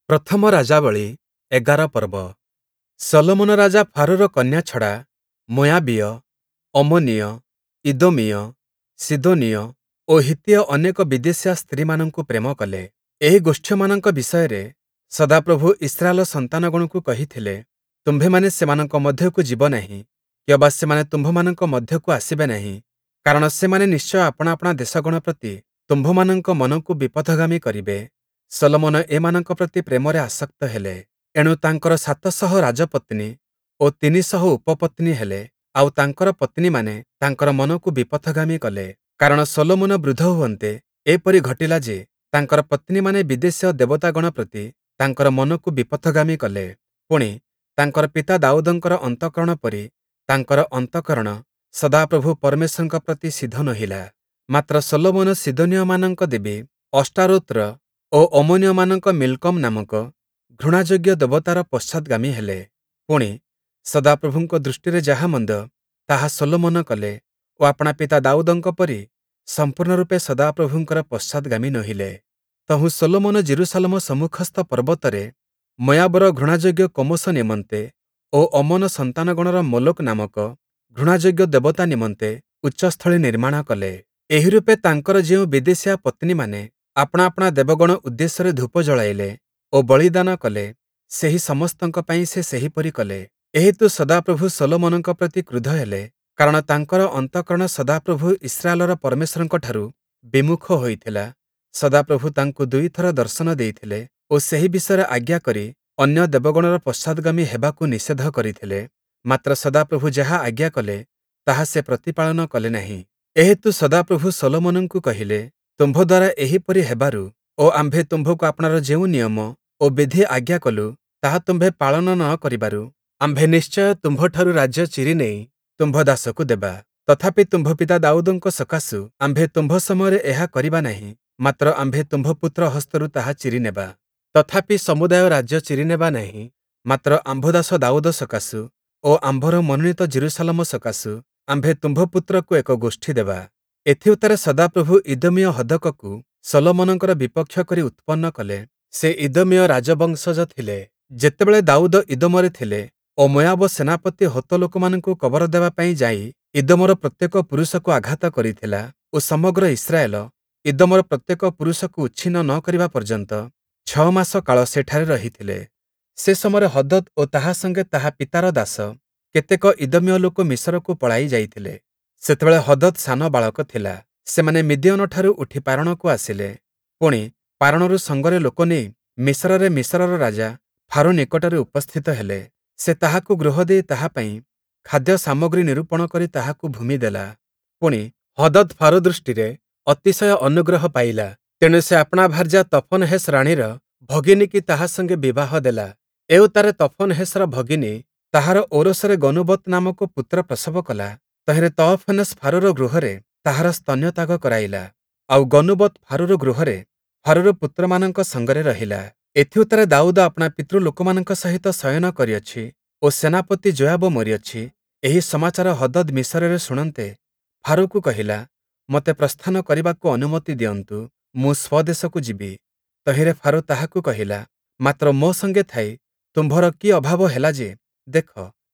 ପ୍ରଥମ ରାଜାବଳୀ ୧୧ ପର୍ବ। ଶଲୋମନ ରାଜା ଫାରୋର କନ୍ୟା ଛଡ଼ା ମୋୟାବୀୟ, ଅମ୍ମୋନୀୟ, ଇଦୋମୀୟ, ସୀଦୋନୀୟ ଓ ହିତ୍ତୀୟ ଅନେକ ବିଦେଶୀୟା ସ୍ତ୍ରୀମାନଙ୍କୁ ପ୍ରେମ କଲେ। ଏହି ଗୋଷ୍ଠୀୟମାନଙ୍କ ବିଷୟରେ ସଦାପ୍ରଭୁ ଇସ୍ରାଏଲ ସନ୍ତାନଗଣକୁ କହିଥିଲେ, ତୁମ୍ଭେମାନେ ସେମାନଙ୍କ ମଧ୍ୟକୁ ଯିବ ନାହିଁ କିଅବା ସେମାନେ ତୁମ୍ଭମାନଙ୍କ ମଧ୍ୟକୁ ଆସିବେ ନାହିଁ, କାରଣ ସେମାନେ ନିଶ୍ଚୟ ଆପଣା ଆପଣା ଦେଶଗଣ ପ୍ରତି ତୁମ୍ଭମାନଙ୍କ ମନକୁ ବିପଥଗାମୀ କରିବେ। ଶଲୋମନ ଏମାନଙ୍କ ପ୍ରତି ପ୍ରେମରେ ଆସକ୍ତ ହେଲେ। ଏଣୁ ତାଙ୍କର ୭୦୦ ରାଜପତ୍ନୀ ଓ ୩୦୦ ଉପପତ୍ନୀ ହେଲେ, ଆଉ ତାଙ୍କର ପତ୍ନୀମାନେ ତାଙ୍କର ମନକୁ ବିପଥଗାମୀ କଲେ। କାରଣ ଶଲୋମନ ବୃଦ୍ଧ ହୁଅନ୍ତେ, ଏପରି ଘଟିଲା ଯେ, ତାଙ୍କର ପତ୍ନୀମାନେ ବିଦେଶୀୟ ଦେବତାଗଣ ପ୍ରତି ତାଙ୍କର ମନକୁ ବିପଥଗାମୀ କଲେ। ପୁଣି, ତାଙ୍କର ପିତା ଦାଉଦଙ୍କର ଅନ୍ତଃକରଣ ପରି ତାଙ୍କର ଅନ୍ତଃକରଣ ସଦାପ୍ରଭୁ ପରମେଶ୍ୱରଙ୍କ ପ୍ରତି ସିଧ ନୋହିଲା। ମାତ୍ର ଶଲୋମନ ସୀଦୋନୀୟମାନଙ୍କ ଦେବୀ ଅଷ୍ଟାରୋତ୍ର ଓ ଅମ୍ମୋନୀୟମାନଙ୍କ ମିଲ୍କମ୍ ନାମକ ଘୃଣାଯୋଗ୍ୟ ଦେବତାର ପଶ୍ଚାତ୍‌ଗାମୀ ହେଲେ। ପୁଣି, ସଦାପ୍ରଭୁଙ୍କ ଦୃଷ୍ଟିରେ ଯାହା ମନ୍ଦ, ତାହା ଶଲୋମନ କଲେ ଓ ଆପଣା ପିତା ଦାଉଦଙ୍କ ପରି ସମ୍ପୂର୍ଣ୍ଣ ରୂପେ ସଦାପ୍ରଭୁଙ୍କର ପଶ୍ଚାତ୍‌ଗାମୀ ନୋହିଲେ। ତହୁଁ ଶଲୋମନ ଯିରୂଶାଲମ ସମ୍ମୁଖସ୍ଥ ପର୍ବତରେ ମୋୟାବର ଘୃଣାଯୋଗ୍ୟ କମୋଶ ନିମନ୍ତେ ଓ ଅମ୍ମୋନ ସନ୍ତାନଗଣର ମୋଲୋକ୍ ନାମକ ଘୃଣାଯୋଗ୍ୟ ଦେବତା ନିମନ୍ତେ ଉଚ୍ଚସ୍ଥଳୀ ନିର୍ମାଣ କଲେ। ଏହିରୂପେ ତାଙ୍କର ଯେଉଁ ବିଦେଶୀୟା ପତ୍ନୀମାନେ ଆପଣା ଆପଣା ଦେବଗଣ ଉଦ୍ଦେଶ୍ୟରେ ଧୂପ ଜଳାଇଲେ ଓ ବଳିଦାନ କଲେ, ସେହି ସମସ୍ତଙ୍କ ପାଇଁ ସେ ସେହିପରି କଲେ। ଏହେତୁ ସଦାପ୍ରଭୁ ଶଲୋମନଙ୍କ ପ୍ରତି କ୍ରୁଦ୍ଧ ହେଲେ, କାରଣ ତାଙ୍କର ଅନ୍ତଃକରଣ ସଦାପ୍ରଭୁ ଇସ୍ରାଏଲର ପରମେଶ୍ୱରଙ୍କଠାରୁ ବିମୁଖ ହୋଇଥିଲା। ସଦାପ୍ରଭୁ ତାଙ୍କୁ ଦୁଇଥର ଦର୍ଶନ ଦେଇଥିଲେ ଓ ସେହି ବିଷୟରେ ଆଜ୍ଞା କରି ଅନ୍ୟ ଦେବଗଣର ପଶ୍ଚାତ୍‌ଗାମୀ ହେବାକୁ ନିଷେଧ କରିଥିଲେ। ମାତ୍ର ସଦାପ୍ରଭୁ ଯାହା ଆଜ୍ଞା କଲେ, ତାହା ସେ ପ୍ରତିପାଳନ କଲେ ନାହିଁ। ଏହେତୁ ସଦାପ୍ରଭୁ ଶଲୋମନଙ୍କୁ କହିଲେ, ତୁମ୍ଭ ଦ୍ୱାରା ଏହିପରି ହେବାରୁ ଓ ଆମ୍ଭେ ତୁମ୍ଭକୁ ଆପଣାର ଯେଉଁ ନିୟମ ଓ ବିଧି ଆଜ୍ଞା କଲୁ, ତାହା ତୁମ୍ଭେ ପାଳନ ନ କରିବାରୁ, ଆମ୍ଭେ ନିଶ୍ଚୟ ତୁମ୍ଭଠାରୁ ରାଜ୍ୟ ଚିରିନେଇ ତୁମ୍ଭ ଦାସକୁ ଦେବା। ତଥାପି ତୁମ୍ଭ ପିତା ଦାଉଦଙ୍କ ସକାଶୁ ଆମ୍ଭେ ତୁମ୍ଭ ସମୟରେ ଏହା କରିବା ନାହିଁ, ମାତ୍ର ଆମ୍ଭେ ତୁମ୍ଭ ପୁତ୍ର ହସ୍ତରୁ ତାହା ଚିରିନେବା। ତଥାପି ସମୁଦାୟ ରାଜ୍ୟ ଚିରିନେବା ନାହିଁ, ମାତ୍ର ଆମ୍ଭ ଦାସ ଦାଉଦ ସକାଶୁ ଓ ଆମ୍ଭର ମନୋନୀତ ଯିରୂଶାଲମ ସକାଶୁ ଆମ୍ଭେ ତୁମ୍ଭ ପୁତ୍ରକୁ ଏକ ଗୋଷ୍ଠୀ ଦେବା। ଏଥିଉତ୍ତାରେ ସଦାପ୍ରଭୁ ଇଦୋମୀୟ ହଦକକୁ ଶଲୋମନଙ୍କର ବିପକ୍ଷ କରି ଉତ୍ପନ୍ନ କଲେ। ସେ ଇଦୋମୀୟ ରାଜବଂଶଜ ଥିଲେ। ଯେତେବେଳେ ଦାଉଦ ଇଦୋମରେ ଥିଲେ ଓ ମୋୟାବ ସେନାପତି ହୋତ ଲୋକମାନଙ୍କୁ କବର ଦେବା ପାଇଁ ଯାଇ ଇଦୋମର ପ୍ରତ୍ୟେକ ପୁରୁଷକୁ ଆଘାତ କରିଥିଲା ଓ ସମଗ୍ର ଇସ୍ରାଏଲ ଇଦୋମର ପ୍ରତ୍ୟେକ ପୁରୁଷକୁ ଉଚ୍ଛିନ୍ନ ନ କରିବା ପର୍ଯ୍ୟନ୍ତ ଛଅ ମାସ କାଳ ସେଠାରେ ରହିଥିଲେ। ସେ ସମୟରେ ହଦଦ୍ ଓ ତାହା ସଙ୍ଗେ ତାହା ପିତାର ଦାସ କେତେକ ଇଦୋମୀୟ ଲୋକ ମିଶରକୁ ପଳାଇ ଯାଇଥିଲେ। ସେତେବେଳେ ହଦଦ୍ ସାନ ବାଳକ ଥିଲା। ସେମାନେ ମିଦିୟନଠାରୁ ଉଠି ପାରଣକୁ ଆସିଲେ। ପୁଣି, ପାରଣରୁ ସଙ୍ଗରେ ଲୋକ ନେଇ ମିଶରରେ ମିଶରର ରାଜା ଫାରୋ ନିକଟରେ ଉପସ୍ଥିତ ହେଲେ। ସେ ତାହାକୁ ଗୃହ ଦେଇ ତାହା ପାଇଁ ଖାଦ୍ୟ ସାମଗ୍ରୀ ନିରୂପଣ କରି ତାହାକୁ ଭୂମି ଦେଲା। ପୁଣି, ହଦଦ୍ ଫାରୋ ଦୃଷ୍ଟିରେ ଅତିଶୟ ଅନୁଗ୍ରହ ପାଇଲା। ତେଣୁ ସେ ଆପଣା ଭାର୍ଯ୍ୟା ତଫନହେସ୍ ରାଣୀର ଭଗିନୀକି ତାହା ସଙ୍ଗେ ବିବାହ ଦେଲା। ଏଉତ୍ତାରେ ତଫନହେସ୍‌ର ଭଗିନୀ ତାହାର ଔରସରେ ଗନୁବତ୍ ନାମକ ପୁତ୍ର ପ୍ରସବ କଲା। ତହିଁରେ ତହଫନେସ୍ ଫାରୋର ଗୃହରେ ତାହାର ସ୍ତନ୍ୟତ୍ୟାଗ କରାଇଲା। ଆଉ ଗନୁବତ୍ ଫାରୋର ଗୃହରେ ଫାରୋର ପୁତ୍ରମାନଙ୍କ ସଙ୍ଗରେ ରହିଲା। ଏଥିଉତ୍ତାରେ ଦାଉଦ ଆପଣା ପିତୃଲୋକମାନଙ୍କ ସହିତ ଶୟନ କରିଅଛି ଓ ସେନାପତି ଯୋୟାବ ମରିଅଛି, ଏହି ସମାଚାର ହଦଦ୍ ମିଶରରେ ଶୁଣନ୍ତେ, ଫାରୋକୁ କହିଲା, ମୋତେ ପ୍ରସ୍ଥାନ କରିବାକୁ ଅନୁମତି ଦିଅନ୍ତୁ, ମୁଁ ସ୍ୱଦେଶକୁ ଯିବି। ତହିଁରେ ଫାରୋ ତାହାକୁ କହିଲା, ମାତ୍ର ମୋ ସଙ୍ଗେ ଥାଇ ତୁମ୍ଭର କି ଅଭାବ ହେଲା ଯେ, ଦେଖ,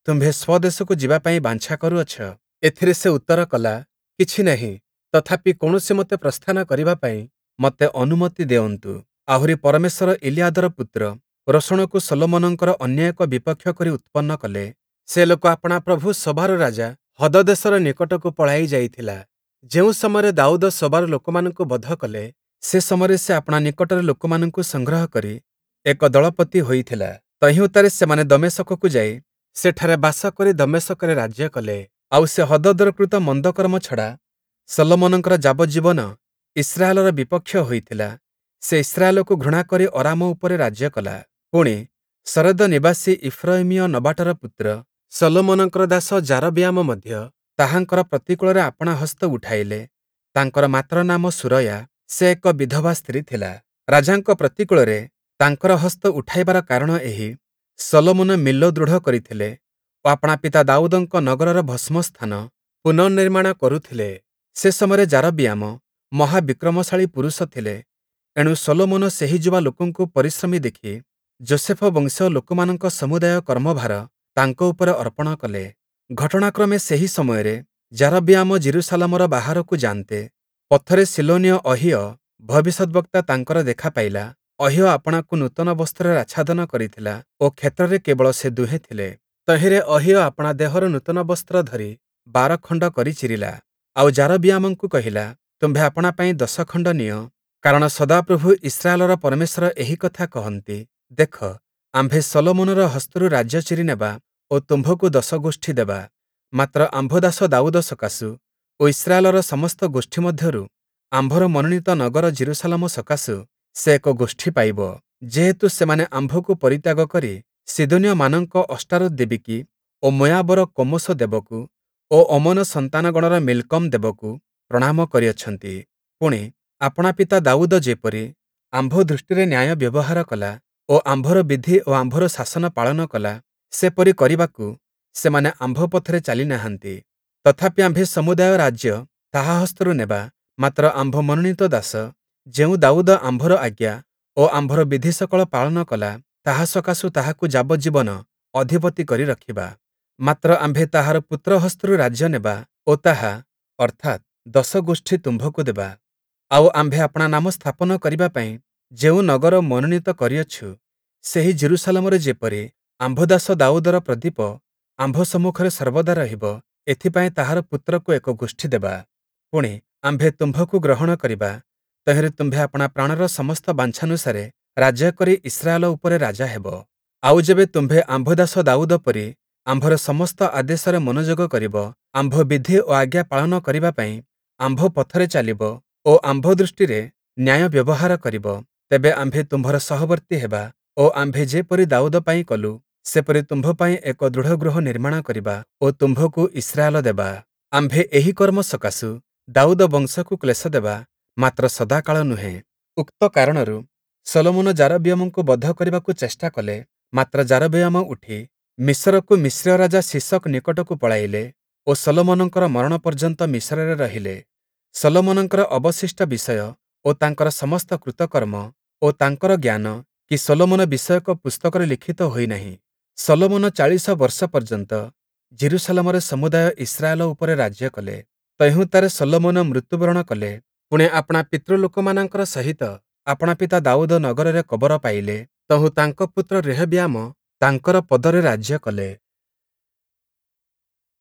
ତୁମ୍ଭେ ସ୍ୱଦେଶକୁ ଯିବା ପାଇଁ ବାଞ୍ଛା କରୁଅଛ? ଏଥିରେ ସେ ଉତ୍ତର କଲା, କିଛି ନାହିଁ, ତଥାପି କୌଣସିମତେ ପ୍ରସ୍ଥାନ କରିବା ପାଇଁ ମୋତେ ଅନୁମତି ଦେଉନ୍ତୁ। ଆହୁରି ପରମେଶ୍ୱର ଇଲିୟାଦର ପୁତ୍ର ରୋଷଣକୁ ଶଲୋମନଙ୍କର ଅନ୍ୟ ଏକ ବିପକ୍ଷ କରି ଉତ୍ପନ୍ନ କଲେ। ସେ ଲୋକ ଆପଣା ପ୍ରଭୁ ସୋବାର ରାଜା ହଦଦେସର ନିକଟକୁ ପଳାଇ ଯାଇଥିଲା। ଯେଉଁ ସମୟରେ ଦାଉଦ ସୋବାର ଲୋକମାନଙ୍କୁ ବଧ କଲେ, ସେ ସମୟରେ ସେ ଆପଣା ନିକଟରେ ଲୋକମାନଙ୍କୁ ସଂଗ୍ରହ କରି ଏକ ଦଳପତି ହୋଇଥିଲା। ତହିଁ ଉତ୍ତାରେ ସେମାନେ ଦମେଶକକୁ ଯାଇ ସେଠାରେ ବାସ କରି ଦମେଶକରେ ରାଜ୍ୟ କଲେ। ଆଉ ସେ ହଦଦର କୃତ ମନ୍ଦକର୍ମ ଛଡ଼ା ଶଲୋମନଙ୍କର ଯାବଜ୍ଜୀବନ ଇସ୍ରାଏଲର ବିପକ୍ଷ ହୋଇଥିଲା। ସେ ଇସ୍ରାଏଲକୁ ଘୃଣା କରି ଅରାମ ଉପରେ ରାଜ୍ୟ କଲା। ପୁଣି, ଶରେଦ ନିବାସୀ ଇଫ୍ରୟିମୀୟ ନବାଟର ପୁତ୍ର ଶଲୋମନଙ୍କର ଦାସ ଯାରବିୟାମ ମଧ୍ୟ ତାହାଙ୍କର ପ୍ରତିକୂଳରେ ଆପଣା ହସ୍ତ ଉଠାଇଲେ। ତାଙ୍କର ମାତର ନାମ ସୁରୟା, ସେ ଏକ ବିଧବା ସ୍ତ୍ରୀ ଥିଲା। ରାଜାଙ୍କ ପ୍ରତିକୂଳରେ ତାଙ୍କର ହସ୍ତ ଉଠାଇବାର କାରଣ ଏହି, ଶଲୋମନ ମିଲ୍ଲୋ ଦୃଢ଼ କରିଥିଲେ ଓ ଆପଣା ପିତା ଦାଉଦଙ୍କ ନଗରର ଭସ୍ମସ୍ଥାନ ପୁନଃନିର୍ମାଣ କରୁଥିଲେ। ସେ ସମୟରେ ଯାରବିୟାମ ମହାବିକ୍ରମଶାଳୀ ପୁରୁଷ ଥିଲେ। ଏଣୁ ଶଲୋମନ ସେହି ଯୁବା ଲୋକଙ୍କୁ ପରିଶ୍ରମୀ ଦେଖି ଯୋଷେଫ-ବଂଶୀୟ ଲୋକମାନଙ୍କ ସମୁଦାୟ କର୍ମଭାର ତାଙ୍କ ଉପରେ ଅର୍ପଣ କଲେ। ଘଟଣାକ୍ରମେ ସେହି ସମୟରେ ଯାରବିୟାମ ଯିରୂଶାଲମର ବାହାରକୁ ଯାନ୍ତେ, ପଥରେ ଶୀଲୋନୀୟ ଅହୀୟ ଭବିଷ୍ୟଦ୍‌ବକ୍ତା ତାଙ୍କର ଦେଖା ପାଇଲା। ଅହୀୟ ଆପଣାକୁ ନୂତନ ବସ୍ତ୍ରରେ ଆଚ୍ଛାଦନ କରିଥିଲା ଓ କ୍ଷେତ୍ରରେ କେବଳ ସେ ଦୁହେଁ ଥିଲେ। ତହିଁରେ ଅହୀୟ ଆପଣା ଦେହର ନୂତନ ବସ୍ତ୍ର ଧରି 12 ଖଣ୍ଡ କରି ଚିରିଲା, ଆଉ ଯାରବିୟାମଙ୍କୁ କହିଲା, ତୁମ୍ଭେ ଆପଣା ପାଇଁ 10 ଖଣ୍ଡ ନିଅ, କାରଣ ସଦାପ୍ରଭୁ ଇସ୍ରାଏଲର ପରମେଶ୍ୱର ଏହି କଥା କହନ୍ତି, ଦେଖ, ଆମ୍ଭେ ଶଲୋମନର ହସ୍ତରୁ ରାଜ୍ୟ ଚିରି ନେବା ଓ ତୁମ୍ଭକୁ ଦଶ ଗୋଷ୍ଠୀ ଦେବା। ମାତ୍ର ଆମ୍ଭ ଦାସ ଦାଉଦ ସକାଶୁ ଓ ଇସ୍ରାଏଲର ସମସ୍ତ ଗୋଷ୍ଠୀ ମଧ୍ୟରୁ ଆମ୍ଭର ମନୋନୀତ ନଗର ଯିରୂଶାଲମ ସକାଶୁ ସେ ଏକ ଗୋଷ୍ଠୀ ପାଇବ। ଯେହେତୁ ସେମାନେ ଆମ୍ଭକୁ ପରିତ୍ୟାଗ କରି ସୀଦୋନୀୟମାନଙ୍କ ଅଷ୍ଟାରୋତ୍ ଦେବୀକି ଓ ମୋୟାବର କମୋଶ ଦେବକୁ ଓ ଅମ୍ମୋନ ସନ୍ତାନଗଣର ମିଲ୍କମ୍ ଦେବକୁ ପ୍ରଣାମ କରିଅଛନ୍ତି। ପୁଣି, ଆପଣା ପିତା ଦାଉଦ ଯେପରି ଆମ୍ଭ ଦୃଷ୍ଟିରେ ନ୍ୟାୟ ବ୍ୟବହାର କଲା ଓ ଆମ୍ଭର ବିଧି ଓ ଆମ୍ଭର ଶାସନ ପାଳନ କଲା, ସେପରି କରିବାକୁ ସେମାନେ ଆମ୍ଭ ପଥରେ ଚାଲି ନାହାନ୍ତି। ତଥାପି ଆମ୍ଭେ ସମୁଦାୟ ରାଜ୍ୟ ତାହା ହସ୍ତରୁ ନେବା, ମାତ୍ର ଆମ୍ଭ ମନୋନୀତ ଦାସ ଯେଉଁ ଦାଉଦ ଆମ୍ଭର ଆଜ୍ଞା ଓ ଆମ୍ଭର ବିଧିସକଳ ପାଳନ କଲା, ତାହା ସକାଶୁ ତାହାକୁ ଯାବଜ୍ଜୀବନ ଅଧିପତି କରି ରଖିବା। ମାତ୍ର ଆମ୍ଭେ ତାହାର ପୁତ୍ର ହସ୍ତରୁ ରାଜ୍ୟ ନେବା ଓ ତାହା, ଅର୍ଥାତ୍, ଦଶ ଗୋଷ୍ଠୀ ତୁମ୍ଭକୁ ଦେବା। ଆଉ ଆମ୍ଭେ ଆପଣା ନାମ ସ୍ଥାପନ କରିବା ପାଇଁ ଯେଉଁ ନଗର ମନୋନୀତ କରିଅଛୁ, ସେହି ଯିରୂଶାଲମରେ ଯେପରି ଆମ୍ଭ ଦାସ ଦାଉଦର ପ୍ରଦୀପ ଆମ୍ଭ ସମ୍ମୁଖରେ ସର୍ବଦା ରହିବ, ଏଥିପାଇଁ ତାହାର ପୁତ୍ରକୁ ଏକ ଗୋଷ୍ଠୀ ଦେବା। ପୁଣି, ଆମ୍ଭେ ତୁମ୍ଭକୁ ଗ୍ରହଣ କରିବା, ତହିଁରେ ତୁମ୍ଭେ ଆପଣା ପ୍ରାଣର ସମସ୍ତ ବାଞ୍ଛାନୁସାରେ ରାଜ୍ୟ କରି ଇସ୍ରାଏଲ ଉପରେ ରାଜା ହେବ। ଆଉ ଯେବେ ତୁମ୍ଭେ ଆମ୍ଭ ଦାସ ଦାଉଦ ପରି ଆମ୍ଭର ସମସ୍ତ ଆଦେଶରେ ମନୋଯୋଗ କରିବ, ଆମ୍ଭ ବିଧି ଓ ଆଜ୍ଞା ପାଳନ କରିବା ପାଇଁ ଆମ୍ଭ ପଥରେ ଚାଲିବ ଓ ଆମ୍ଭ ଦୃଷ୍ଟିରେ ନ୍ୟାୟ ବ୍ୟବହାର କରିବ, ତେବେ ଆମ୍ଭେ ତୁମ୍ଭର ସହବର୍ତ୍ତୀ ହେବା ଓ ଆମ୍ଭେ ଯେପରି ଦାଉଦ ପାଇଁ କଲୁ, ସେପରି ତୁମ୍ଭ ପାଇଁ ଏକ ଦୃଢ଼ ଗୃହ ନିର୍ମାଣ କରିବା ଓ ତୁମ୍ଭକୁ ଇସ୍ରାଏଲ ଦେବା। ଆମ୍ଭେ ଏହି କର୍ମ ସକାଶୁ ଦାଉଦ ବଂଶକୁ କ୍ଳେଶ ଦେବା, ମାତ୍ର ସଦାକାଳ ନୁହେଁ। ଉକ୍ତ କାରଣରୁ ଶଲୋମନ ଯାରବିୟାମଙ୍କୁ ବଧ କରିବାକୁ ଚେଷ୍ଟା କଲେ, ମାତ୍ର ଯାରବିୟାମ ଉଠି ମିସରକୁ ମିସ୍ରୀୟ ରାଜା ଶୀଶକ୍ ନିକଟକୁ ପଳାଇଲେ ଓ ଶଲୋମନଙ୍କର ମରଣ ପର୍ଯ୍ୟନ୍ତ ମିସରରେ ରହିଲେ। ଶଲୋମନଙ୍କର ଅବଶିଷ୍ଟ ବିଷୟ ଓ ତାଙ୍କର ସମସ୍ତ କୃତକର୍ମ ଓ ତାଙ୍କର ଜ୍ଞାନ କି ଶଲୋମନ ବିଷୟକ ପୁସ୍ତକରେ ଲିଖିତ ହୋଇ ନାହିଁ? ଶଲୋମନ 40 ବର୍ଷ ପର୍ଯ୍ୟନ୍ତ ଯିରୂଶାଲମରେ ସମୁଦାୟ ଇସ୍ରାଏଲ ଉପରେ ରାଜ୍ୟ କଲେ। ତହିଁଉତ୍ତାରେ ଶଲୋମନ ମୃତ୍ୟୁବରଣ କଲେ, ପୁଣି ଆପଣା ପିତୃଲୋକମାନଙ୍କର ସହିତ ଆପଣା ପିତା ଦାଉଦ ନଗରରେ କବର ପାଇଲେ। ତହୁଁ ତାଙ୍କ ପୁତ୍ର ରେହବିୟାମ ତାଙ୍କର ପଦରେ ରାଜ୍ୟ କଲେ।